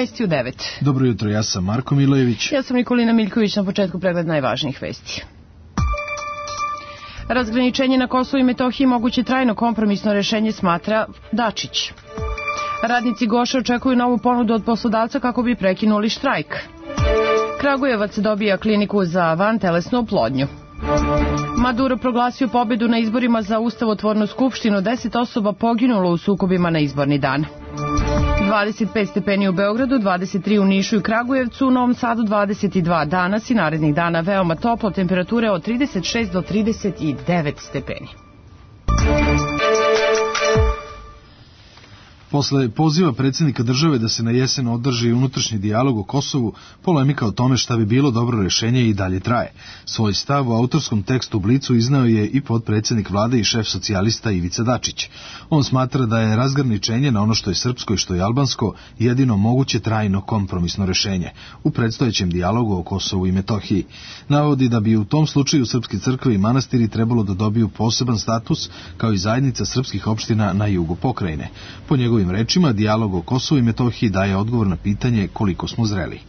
Vesti u 9. Dobro jutro, ja sam Marko Milojević. Ja sam Nikolina Miljković, na početku pregled najvažnijih vesti. Razgraničenje na Kosovu i Metohiji moguće trajno kompromisno rešenje, smatra Dačić. Radnici Goše očekuju novu ponudu od poslodavca kako bi prekinuli štrajk. Kragujevac dobija kliniku za vantelesnu oplodnju. Maduro proglasio pobedu na izborima za ustavotvornu skupštinu, 10 osoba poginulo u sukobima na izborni dan. 25 stepeni u Beogradu, 23 u Nišu i Kragujevcu, u Novom Sadu 22, danas i narednih dana veoma toplo, temperature od 36 do 39 stepeni. Posle poziva predsjednika države da se na jesen održi unutrašnji dijalog o Kosovu, polemika o tome šta bi bilo dobro rešenje i dalje traje. Svoj stav u autorskom tekstu Blicu iznao je i potpredsjednik vlade i šef socijalista Ivica Dačić. On smatra da je razgraničenje na ono što je srpsko i što je albansko jedino moguće trajno kompromisno rešenje u predstojećem dijalogu o Kosovu i Metohiji. Navodi da bi u tom slučaju srpske crkve i manastiri trebalo da dobiju poseban status kao i zajednica srpskih opština na jugu pokrajine. Po njegovim rečima, dijalog o Kosovu i Metohiji daje odgovor na pitanje koliko smo zreli.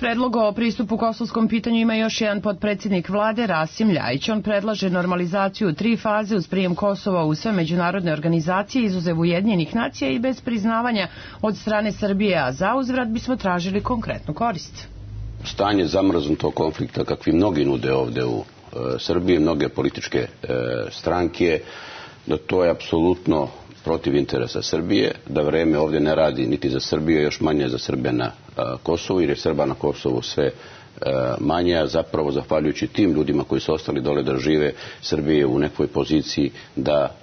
Predlog o pristupu kosovskom pitanju ima još jedan potpredsjednik vlade, Rasim Ljajić. On predlaže normalizaciju u 3 faze uz prijem Kosova u sve međunarodne organizacije, izuzev Ujedinjenih nacija i bez priznavanja od strane Srbije, a za uzvrat bismo tražili konkretnu korist. Stanje zamrznutog konflikta, kakvi mnogi nude ovde u Srbiji, mnoge političke stranke, da to je apsolutno protiv interesa Srbije, da vreme ovdje ne radi niti za Srbiju, još manje za Srbe na Kosovu, jer je Srba na Kosovu sve manje, a zapravo zahvaljujući tim ljudima koji su ostali dole da žive, Srbije je u nekoj poziciji da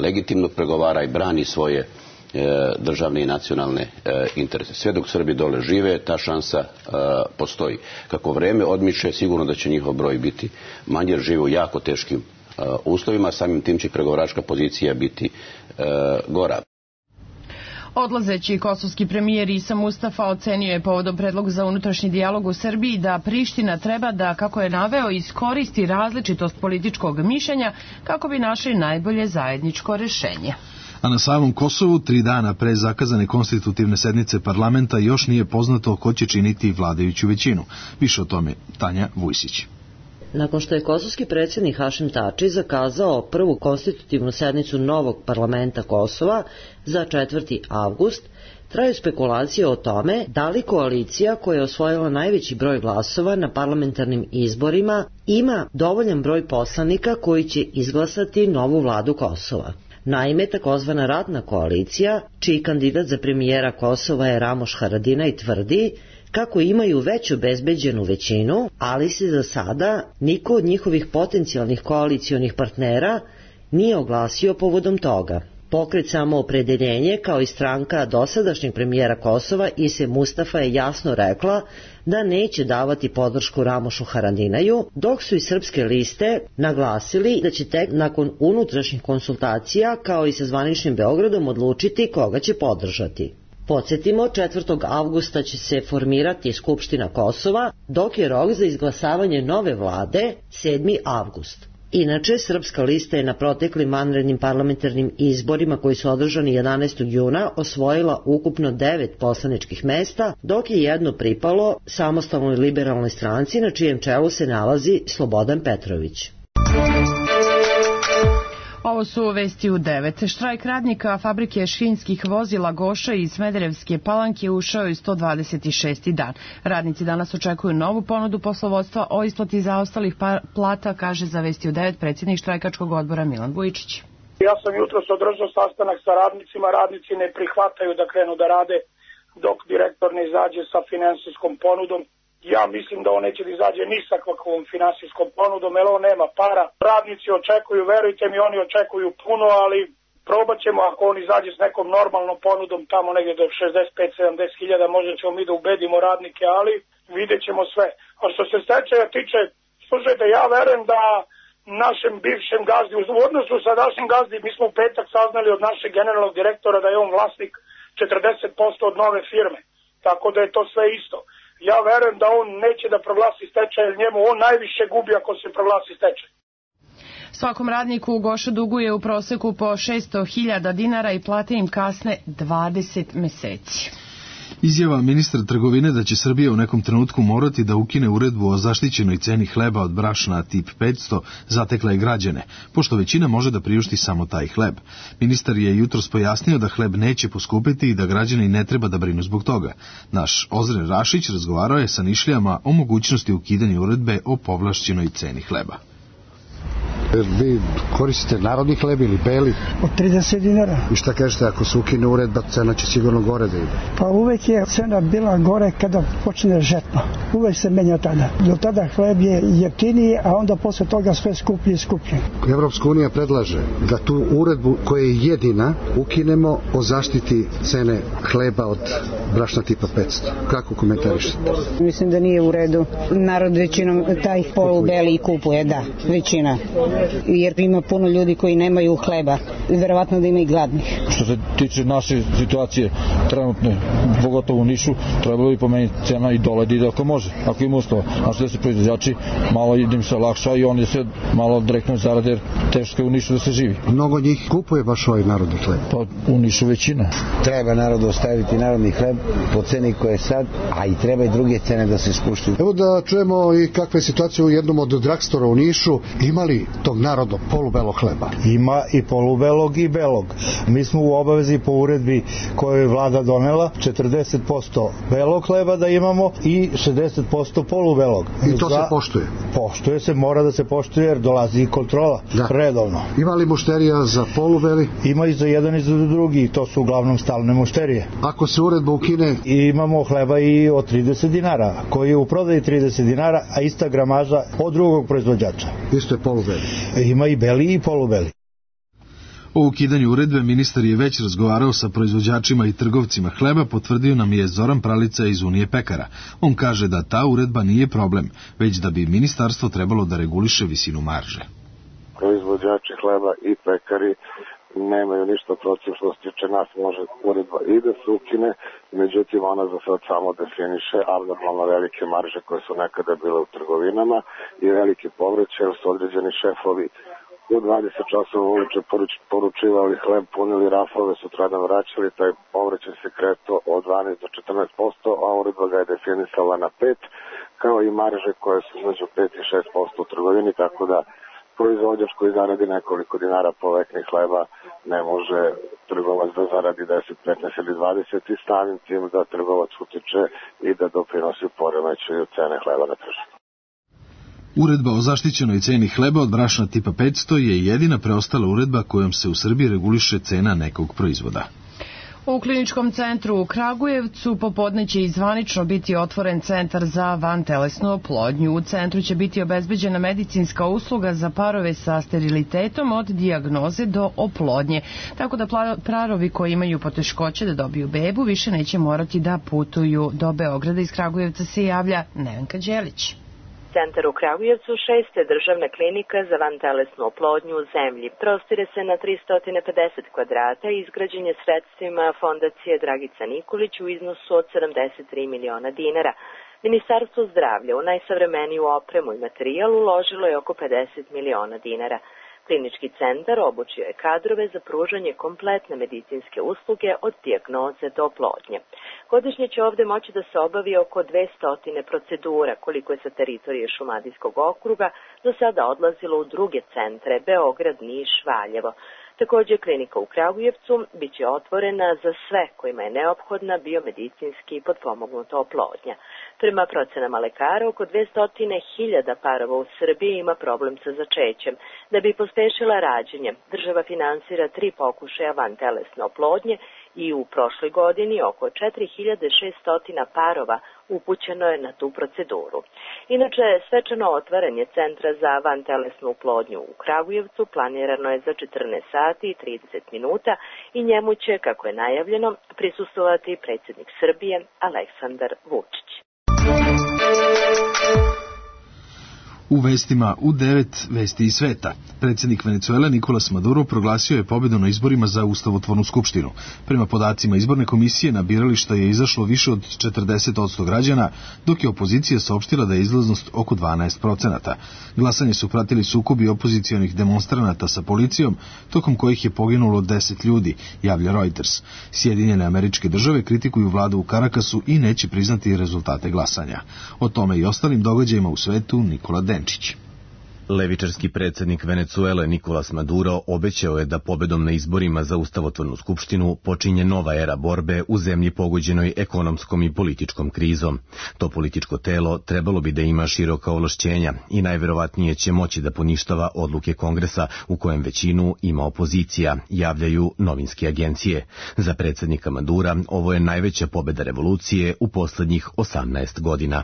legitimno pregovara i brani svoje državne i nacionalne interese. Sve dok Srbi dole žive, ta šansa postoji. Kako vreme odmiče, sigurno da će njihov broj biti manje, jer žive u jako teškim uslovima, samim tim će pregovaračka pozicija biti gora. Odlazeći kosovski premijer Isa Mustafa ocenio je povodom predloga za unutrašnji dijalog u Srbiji da Priština treba da, kako je naveo, iskoristi različitost političkog mišljenja kako bi našli najbolje zajedničko rešenje. A na samom Kosovu, 3 dana pre zakazane konstitutivne sednice parlamenta, još nije poznato ko će činiti vladajuću većinu. Više o tome Tanja Vujsić. Nakon što je kosovski predsjednik Hašim Tači zakazao prvu konstitutivnu sednicu novog parlamenta Kosova za 4. avgust, traju spekulacije o tome da li koalicija koja je osvojila najveći broj glasova na parlamentarnim izborima ima dovoljan broj poslanika koji će izglasati novu vladu Kosova. Naime, takozvana radna koalicija, čiji kandidat za premijera Kosova je Ramoš Haradinaj, tvrdi kako imaju već obezbeđenu većinu, ali se za sada niko od njihovih potencijalnih koalicionih partnera nije oglasio povodom toga. Pokret Samoopredeljenje, kao i stranka dosadašnjeg premijera Kosova Ise Mustafa, je jasno rekla da neće davati podršku Ramošu Haradinaju, dok su i srpske liste naglasili da će tek nakon unutrašnjih konsultacija, kao i sa zvaničnim Beogradom, odlučiti koga će podržati. Podsjetimo, 4. avgusta će se formirati Skupština Kosova, dok je rok za izglasavanje nove vlade 7. avgust. Inače, srpska lista je na proteklim vanrednim parlamentarnim izborima koji su održani 11. juna osvojila ukupno 9 poslaničkih mesta, dok je jedno pripalo Samostalnoj liberalnoj stranci na čijem čelu se nalazi Slobodan Petrović. Ovo su vesti u 9. Štrajk radnika fabrike šinskih vozila Goša iz Smederevske Palanke ušao je 126. dan. Radnici danas očekuju novu ponudu poslovodstva o isplati zaostalih plata, kaže za vesti u 9 predsjednik štrajkačkog odbora Milan Vujičić. Ja sam jutros održao sastanak sa radnicima, radnici ne prihvataju da krenu da rade dok direktor ne izađe sa finansijskom ponudom. Ja mislim da on neće da izađe ni sa kakvom finansijskom ponudom, jer on nema para. Radnici očekuju, verujte mi, oni očekuju puno, ali probat ćemo ako on izađe s nekom normalnom ponudom tamo negdje do 65-70 hiljada, možda ćemo mi da ubedimo radnike, ali vidjet ćemo sve. A što se stečaja tiče, slušajte, ja verujem da našem bivšem gazdi, u odnosu sa našim gazdi, mi smo u petak saznali od našeg generalnog direktora da je on vlasnik 40% od nove firme, tako da je to sve isto. Ja verujem da on neće da proglasi stečaj, jer njemu on najviše gubi ako se proglasi stečaj. Svakom radniku u Goša duguje u proseku po 600.000 dinara i plate im kasne 20 meseci. Izjava ministra trgovine da će Srbija u nekom trenutku morati da ukine uredbu o zaštićenoj ceni hleba od brašna tip 500 zatekla je građane, pošto većina može da priušti samo taj hleb. Ministar je jutros pojasnio da hleb neće poskupiti i da građani ne treba da brinu zbog toga. Naš Ozren Rašić razgovarao je sa Nišlijama o mogućnosti ukidanja uredbe o povlašćenoj ceni hleba. Vi koristite narodni hleb ili beli? Od 30 dinara. I šta kažete, ako se ukine uredba, cena će sigurno gore da ide? Pa uvek je cena bila gore kada počne žetva. Uvek se menja tada. Do tada hleb je jeftiniji, a onda posle toga sve skuplji i skuplji. Evropska unija predlaže da tu uredbu koja je jedina ukinemo o zaštiti cene hleba od brašna tipa 500. Kako komentarišete? Mislim da nije u redu. Narod većinom taj polubeli kupuje, da, većina. Jer ima puno ljudi koji nemaju hleba. Verovatno da ima i gladnih. Što se tiče naše situacije trenutne, pogotovo u Nišu, trebalo bi pomeniti cena i dole da ide ako može, ako ima uslova. Znači da se proizvođači malo im se lakša i oni se malo direktno zarade jer teško je u Nišu da se živi. Mnogo njih kupuje baš ovaj narodni hleb. Pa u Nišu većina. Treba narodu ostaviti narodni hleb po ceni koje je sad, a i treba i druge cene da se spuštuju. Evo da čujemo i kakva je situacija u jednom od dragstora u Nišu. Imali tog narodnog polubelog hleba? Ima i polubelog i belog. Mi smo u obavezi po uredbi koju je vlada donela 40% belog hleba da imamo i 60% polubelog. I to se poštuje? Poštuje se, mora da se poštuje jer dolazi i kontrola redovno. Ima li mušterija za polubeli? Ima i za jedan i za drugi, to su uglavnom stalne mušterije. Ako se uredba ukine? Imamo hleba i od 30 dinara, koji je u prodaji 30 dinara, a ista gramaža od drugog proizvođača. Isto je polubeli? Ima i beli i polubeli. O ukidanju uredbe ministar je već razgovarao sa proizvođačima i trgovcima hleba, potvrdio nam je Zoran Pralica iz Unije pekara. On kaže da ta uredba nije problem, već da bi ministarstvo trebalo da reguliše visinu marže. Proizvođači hleba i pekari nemaju ništa protiv što se tiče nas, može uredba i da se ukine, međutim ona za sad samo definiše abnormalno velike marže koje su nekada bile u trgovinama i velike povraćaje, jer su određeni šefovi u 20 časova uveče poručivali hleb, punili rafove, sutradan vraćali, taj povraćaj se kreto od 12 do 14%, a uredba ga je definisala na 5%, kao i marže koje su između 5 i 6% u trgovini, tako da proizvođač koji zaradi nekoliko dinara po vekni hleba ne može trgovac da zaradi 10, 15 ili 20 i samim tim da trgovac utiče i da doprinosi poremećaju cene hleba na tržištu. Uredba o zaštićenoj ceni hleba od brašna tipa 500 je jedina preostala uredba kojom se u Srbiji reguliše cena nekog proizvoda. U kliničkom centru u Kragujevcu popodne će i zvanično biti otvoren centar za vantelesnu oplodnju. U centru će biti obezbeđena medicinska usluga za parove sa sterilitetom od dijagnoze do oplodnje, tako da parovi koji imaju poteškoće da dobiju bebu više neće morati da putuju do Beograda. Iz Kragujevca se javlja Nevenka Đelić. Centar u Kragujevcu 6. državna klinika za vantelesnu oplodnju u zemlji. Prostire se na 350 kvadrata i izgrađen je sredstvima Fondacije Dragica Nikolić u iznosu od 73 miliona dinara. Ministarstvo zdravlja u najsavremeniju opremu i materijal uložilo je oko 50 miliona dinara. Klinički centar obučio je kadrove za pružanje kompletne medicinske usluge od dijagnoze do oplodnje. Godišnje će ovde moći da se obavi oko 200 procedura, koliko je sa teritorije Šumadijskog okruga do sada odlazilo u druge centre, Beograd, Niš, Valjevo. Takođe, klinika u Kragujevcu biće otvorena za sve kojima je neophodna biomedicinski potpomognuta oplodnja. Prema procenama lekara, oko 200.000 parova u Srbiji ima problem sa začećem. Da bi pospešila rađenje, država finansira 3 pokušaja vantelesne oplodnje i u prošloj godini oko 4.600 parova upućeno je na tu proceduru. Inače, svečano otvaranje Centra za vantelesnu oplodnju u Kragujevcu planirano je za 14 sati i 30 minuta i njemu će, kako je najavljeno, prisustvovati predsjednik Srbije Aleksandar Vučić. U vestima u 9 vesti iz sveta. Predsjednik Venecuele Nicolas Maduro proglasio je pobedu na izborima za Ustavotvornu skupštinu. Prema podacima izborne komisije na birališta je izašlo više od 40% građana, dok je opozicija saopštila da je izlaznost oko 12%. Glasanje su pratili sukobi opozicionih demonstranata sa policijom, tokom kojih je poginulo 10 ljudi, javlja Reuters. Sjedinjene Američke Države kritikuju vladu u Karakasu i neće priznati rezultate glasanja. O tome i ostalim događajima u svetu Nikola Denčić. Levičarski predsjednik Venecuele Nicolas Maduro obećao je da pobedom na izborima za Ustavotvornu skupštinu počinje nova era borbe u zemlji pogođenoj ekonomskom i političkom krizom. To političko telo trebalo bi da ima široka ovlašćenja i najverovatnije će moći da poništava odluke Kongresa u kojem većinu ima opozicija, javljaju novinske agencije. Za predsjednika Madura ovo je najveća pobeda revolucije u poslednjih 18 godina.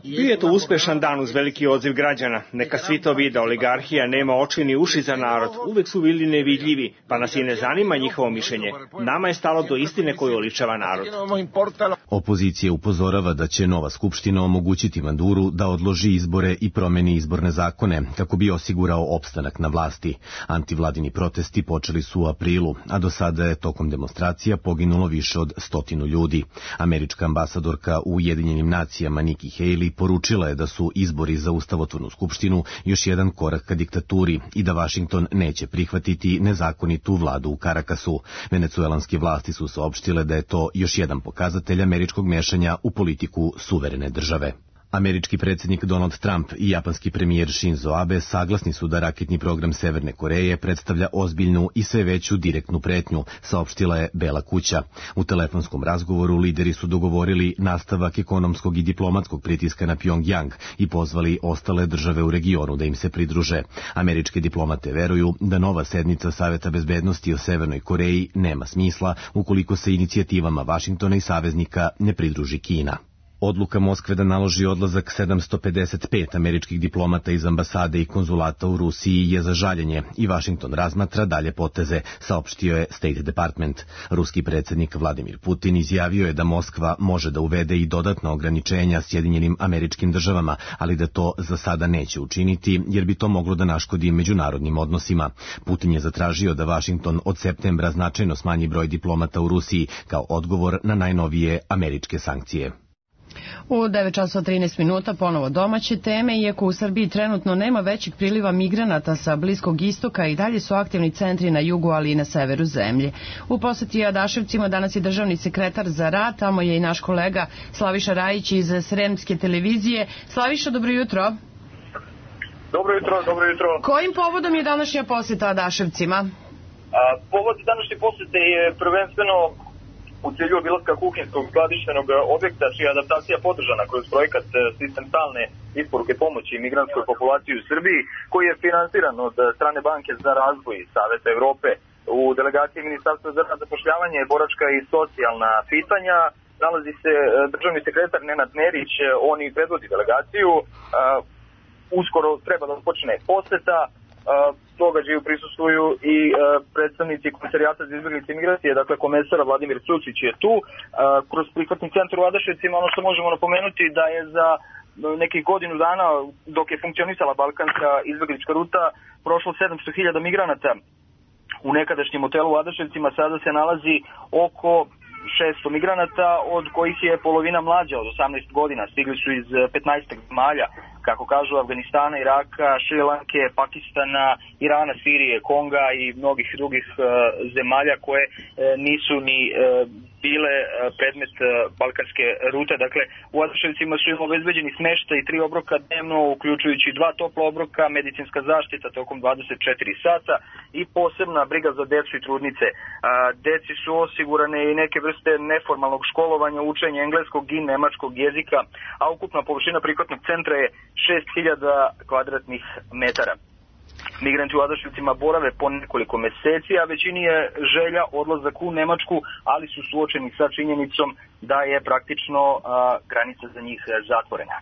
Bio je to uspešan dan uz veliki odziv građana. Neka svi to vide, oligarhija nema oči ni uši za narod, uvek su bili nevidljivi, pa nas i ne zanima njihovo mišljenje. Nama je stalo do istine koju oličava narod. Opozicija upozorava da će nova skupština omogućiti Maduru da odloži izbore i promeni izborne zakone, kako bi osigurao opstanak na vlasti. Antivladini protesti počeli su u aprilu, a do sada je tokom demonstracija poginulo više od 100 ljudi. Američka ambasadorka u Ujedinjenim nacijama Nikki Haley poručila je da su izbori za Ustavotvornu skupštinu još jedan korak ka diktaturi i da Vašington neće prihvatiti nezakonitu vladu u Karakasu. Venecuelanske vlasti su saopštile da je to još jedan pokazatelj američkog mešanja u politiku suverene države. Američki predsjednik Donald Trump i japanski premijer Shinzo Abe saglasni su da raketni program Severne Koreje predstavlja ozbiljnu i sve veću direktnu pretnju, saopštila je Bela kuća. U telefonskom razgovoru lideri su dogovorili nastavak ekonomskog i diplomatskog pritiska na Pyongyang i pozvali ostale države u regionu da im se pridruže. Američke diplomate veruju da nova sednica Saveta bezbednosti o Severnoj Koreji nema smisla ukoliko se inicijativama Vašingtona i saveznika ne pridruži Kina. Odluka Moskve da naloži odlazak 755 američkih diplomata iz ambasade i konzulata u Rusiji je za žaljenje i Vašington razmatra dalje poteze, saopštio je State Department. Ruski predsjednik Vladimir Putin izjavio je da Moskva može da uvede i dodatna ograničenja Sjedinjenim Američkim Državama, ali da to za sada neće učiniti jer bi to moglo da naškodi međunarodnim odnosima. Putin je zatražio da Vašington od septembra značajno smanji broj diplomata u Rusiji kao odgovor na najnovije američke sankcije. U 9:13 minuta ponovo domaće teme, iako u Srbiji trenutno nema većeg priliva migranata sa Bliskog istoka i dalje su aktivni centri na jugu, ali i na severu zemlje. U poseti Adaševcima danas je državni sekretar za rad, tamo je i naš kolega Slaviša Rajić iz Sremske televizije. Slaviša, dobro jutro. Dobro jutro, dobro jutro. Kojim povodom je današnja poseta Adaševcima? Povod današnje posete je prvenstveno u cilju obilaska kuhinjskog skladištenog objekta čija adaptacija podržana kroz projekat Sistem stalne isporuke pomoći migrantskoj populaciji u Srbiji, koji je finansiran od strane Banke za razvoj Saveta Evrope. U delegaciji Ministarstva za rad, zapošljavanje, boračka i socijalna pitanja nalazi se državni sekretar Nenad Nerić, on i predvodi delegaciju. Uskoro treba da počne poseta. Događaju prisustvuju i predstavnici Komisarijata za izbjeglice i migracije, dakle komesar Vladimir Cucić je tu. Kroz prihvatni centar u Adaševcima ono što možemo napomenuti da je za nekih godinu dana dok je funkcionisala balkanska izbjeglička ruta prošlo 700.000 migranata. U nekadašnjem hotelu u Adaševcima sada se nalazi oko 600 migranata, od kojih je polovina mlađa od 18 godina. Stigli su iz 15 zemalja, kako kažu, Afganistana, Iraka, Šrilanke, Pakistana, Irana, Sirije, Konga i mnogih drugih zemalja koje nisu ni bile predmet balkanske rute. Dakle, u Adaševcima su im obezbeđeni smeštaj i 3 obroka dnevno, uključujući 2 topla obroka, medicinska zaštita tokom 24 sata i posebna briga za decu i trudnice. Deci su osigurane i neke vrste neformalnog školovanja, učenja engleskog i nemačkog jezika, a ukupna površina prihvatnog centra je 6000 kvadratnih metara. Migranti u Adaševcima borave po nekoliko meseci, a većini je želja odlazak u Nemačku, ali su suočeni sa činjenicom da je praktično granica za njih zatvorena.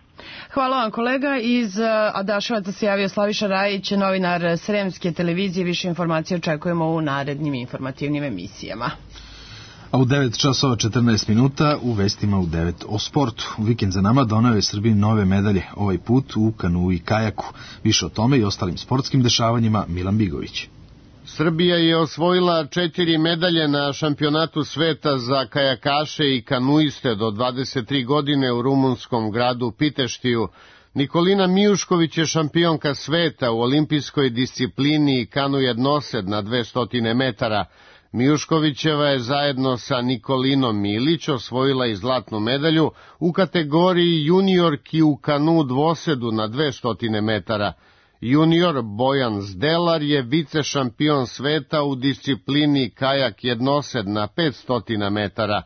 Hvala vam, kolega. Iz Adaševaca se javio Slaviša Rajić, novinar Sremske televizije. Više informacije očekujemo u narednim informativnim emisijama. A u 9 časova 14 minuta u vestima u 9 o sportu. Vikend za nama doneo je Srbiji nove medalje, ovaj put u kanu i kajaku. Više o tome i ostalim sportskim dešavanjima Milan Bigović. Srbija je osvojila 4 medalje na šampionatu sveta za kajakaše i kanuiste do 23 godine u rumunskom gradu Piteštiju. Nikolina Mijušković je šampionka sveta u olimpijskoj disciplini kanu jednosed na 200 metara. Mijuškovićeva je zajedno sa Nikolinom Milić osvojila i zlatnu medalju u kategoriji juniorki u kanu dvosedu na 200 metara. Junior Bojan Zdelar je vice šampion sveta u disciplini kajak jednosed na 500 metara.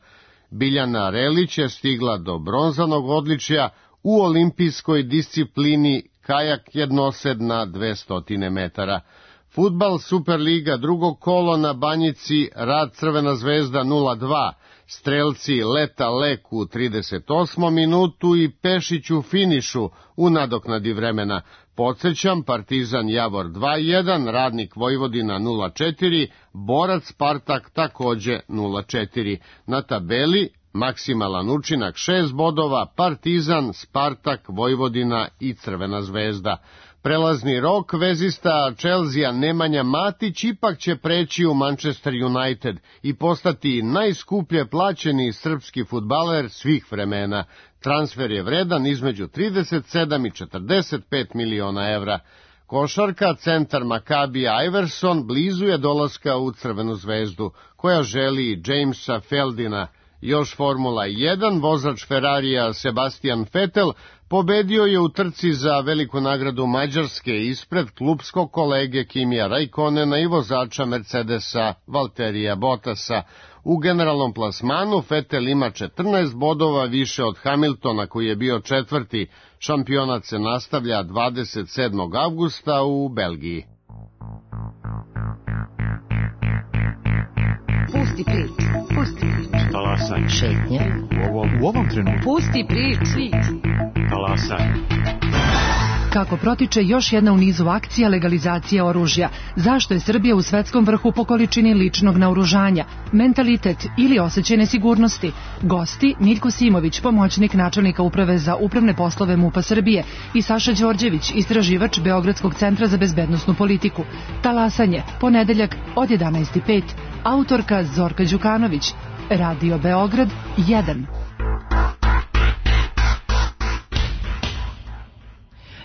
Biljana Relić je stigla do bronzanog odličja u olimpijskoj disciplini kajak jednosed na 200 metara. Fudbal Superliga drugog kolo na Banjici, Rad Crvena zvezda 0-2, strelci Leta Lek u 38. minutu i Pešić u finišu u nadoknadi vremena. Podsećam, Partizan Javor 2-1, Radnik Vojvodina 0-4, Borac Spartak takođe 0-4. Na tabeli maksimalan učinak 6 bodova, Partizan, Spartak, Vojvodina i Crvena zvezda. Prelazni rok vezista Chelsea Nemanja Matić ipak će preći u Manchester United i postati najskuplje plaćeni srpski fudbaler svih vremena. Transfer je vredan između 37 i 45 miliona evra. Košarka, centar Makabija Iverson blizu je dolaska u Crvenu zvezdu, koja želi Jamesa Feldina. Još Formula 1, vozač Ferrarija Sebastian Vettel pobedio je u trci za veliku nagradu Mađarske ispred klubskog kolege Kimija Raikkonena i vozača Mercedesa Valterija Bottasa. U generalnom plasmanu Vettel ima 14 bodova više od Hamiltona koji je bio četvrti. Šampionat se nastavlja 27. avgusta u Belgiji. Pusti priču, pusti priču. Talasaj. Šetnje. U ovom trenutku. Pusti priču. Talasaj. Kako protiče još jedna u nizu akcija legalizacije oružja? Zašto je Srbija u svetskom vrhu po količini ličnog naoružanja? Mentalitet ili osjećaj nesigurnosti? Gosti Miljko Simović, pomoćnik načelnika uprave za upravne poslove MUP-a Srbije, i Saša Đorđević, istraživač Beogradskog centra za bezbednosnu politiku. Talasanje, ponedeljak od 11:05. Autorka Zorka Đukanović. Radio Beograd 1.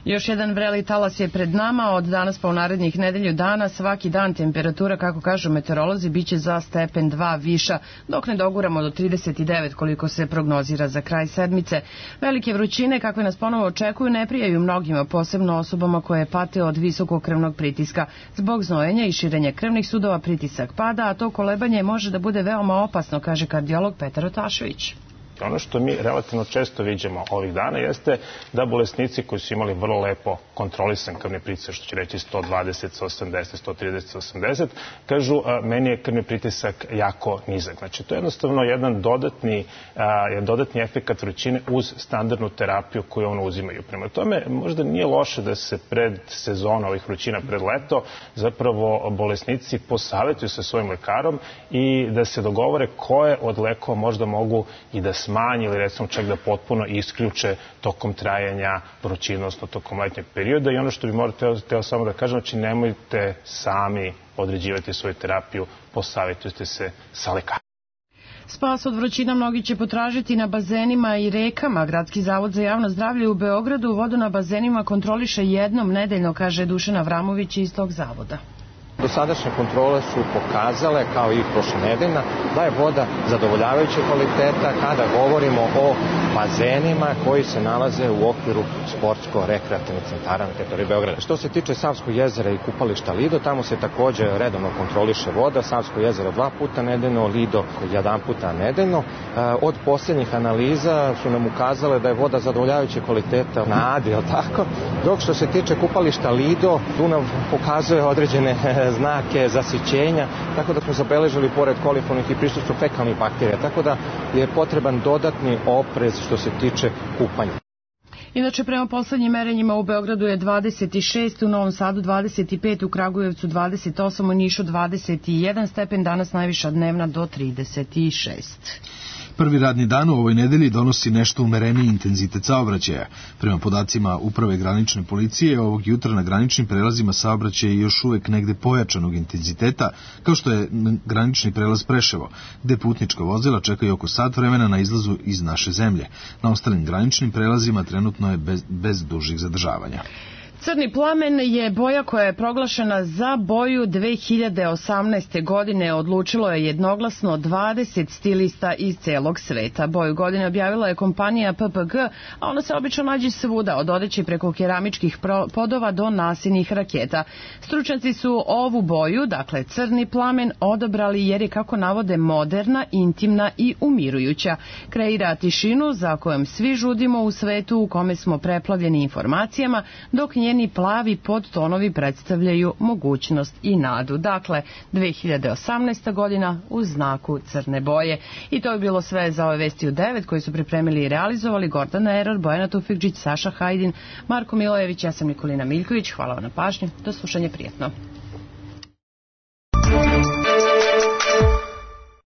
Još jedan vreli talas je pred nama. Od danas pa u narednih nedelju dana svaki dan temperatura, kako kažu meteorolozi, biće za stepen 2 viša, dok ne doguramo do 39 koliko se prognozira za kraj sedmice. Velike vrućine kakve nas ponovo očekuju ne prijaju mnogima, posebno osobama koje pate od visokog krvnog pritiska. Zbog znojenja i širenja krvnih sudova pritisak pada, a to kolebanje može da bude veoma opasno, kaže kardiolog Petar Otašević. Ono što mi relativno često viđemo ovih dana jeste da bolesnici koji su imali vrlo lepo kontrolisan krvni pritisak, što će reći 120, 180, 130, 180, kažu meni je krvni pritisak jako nizak. Znači to je jednostavno jedan dodatni efekat vrućine uz standardnu terapiju koju ono uzimaju. Prema tome možda nije loše da se pred sezona ovih vrućina, pred leto, zapravo bolesnici posavetuju sa svojim lekarom i da se dogovore koje od lekova možda mogu i da smanji ili recimo čak da potpuno isključe tokom trajanja vrućine, odnosno tokom letnjeg perioda. I ono što bi teo samo da kažem, znači nemojte sami određivati svoju terapiju, posavjetujte se sa lekarom. Spas od vrućina mnogi će potražiti na bazenima i rekama. Gradski zavod za javno zdravlje u Beogradu vodu na bazenima kontroliše jednom nedeljno, kaže Dušan Avramović iz tog zavoda. Dosadašnje kontrole su pokazale, kao i prošlonedeljna, da je voda zadovoljavajuće kvaliteta kada govorimo o bazenima koji se nalaze u okviru sportsko-rekreativnih centara na teritoriji Beograda. Što se tiče Savskog jezera i kupališta Lido, tamo se takođe redovno kontroliše voda. Savsko jezero 2 puta nedeljno, Lido 1 puta nedeljno. Od posljednjih analiza su nam ukazale da je voda zadovoljavajuće kvaliteta na Adi, tako? Dok što se tiče kupališta Lido, tu nam pokazuje određene znake zasićenja, tako da smo zabeležili pored koliformnih i prisustvo fekalnih bakterija, tako da je potreban dodatni oprez što se tiče kupanja. Inače, prema poslednjim merenjima u Beogradu je 26, u Novom Sadu 25, u Kragujevcu 28, u Nišu 21 stepen, danas najviša dnevna do 36. Prvi radni dan u ovoj nedelji donosi nešto umereniji intenzitet saobraćaja. Prema podacima Uprave granične policije, ovog jutra na graničnim prelazima saobraćaj je još uvek negde pojačanog intenziteta, kao što je granični prelaz Preševo, gde putnička vozila čekaju oko sat vremena na izlazu iz naše zemlje. Na ostalim graničnim prelazima trenutno je bez dužih zadržavanja. Crni plamen je boja koja je proglašena za boju 2018. godine. Odlučilo je jednoglasno 20 stilista iz celog sveta. Boju godine objavila je kompanija PPG, a ona se obično nađe svuda, od odeće preko keramičkih podova do nasilnih raketa. Stručnjaci su ovu boju, dakle crni plamen, odabrali jer je, kako navode, moderna, intimna i umirujuća. Kreira tišinu za kojom svi žudimo u svetu u kome smo preplavljeni informacijama, dok njeni plavi podtonovi predstavljaju mogućnost i nadu. Dakle, 2018. godina u znaku crne boje. I to je bilo sve za ove vesti u 9 koji su pripremili i realizovali Gordana Eror, Bojana Tufikđić, Saša Hajdin, Marko Milojević, ja sam Nikolina Miljković. Hvala vam na pažnji. Do slušanja, prijetno.